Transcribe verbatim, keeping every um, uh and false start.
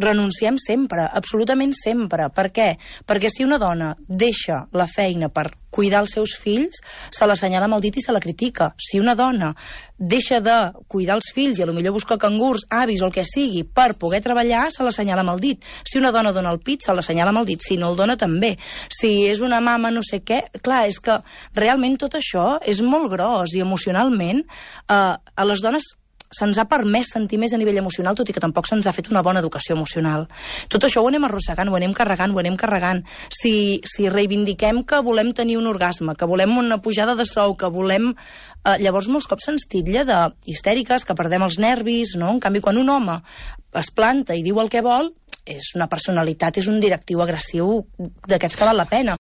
renunciem sempre, absolutament sempre. Per què? Perquè si una dona deixa la feina per cuidar els seus fills, se l'assenyala amb el dit i se la critica. Si una dona deixa de cuidar els fills i potser busca cangurs, avis o el que sigui per poder treballar, se l'assenyala amb el dit. Si una dona dona el pit, se l'assenyala amb el dit. Si no el dona, també. Si és una mama no sé què... Clar, és que realment tot això és molt gros i emocionalment eh, a les dones se'ns ha permès sentir més a nivell emocional, tot i que tampoc se'ns ha fet una bona educació emocional. Tot això ho anem arrossegant, ho anem carregant, ho anem carregant. Si, si reivindiquem que volem tenir un orgasme, que volem una pujada de sou, que volem... Eh, llavors molts cops se'ns titlla de histèriques, que perdem els nervis, no? En canvi, quan un home es planta i diu el que vol, és una personalitat, és un directiu agressiu d'aquests que val la pena.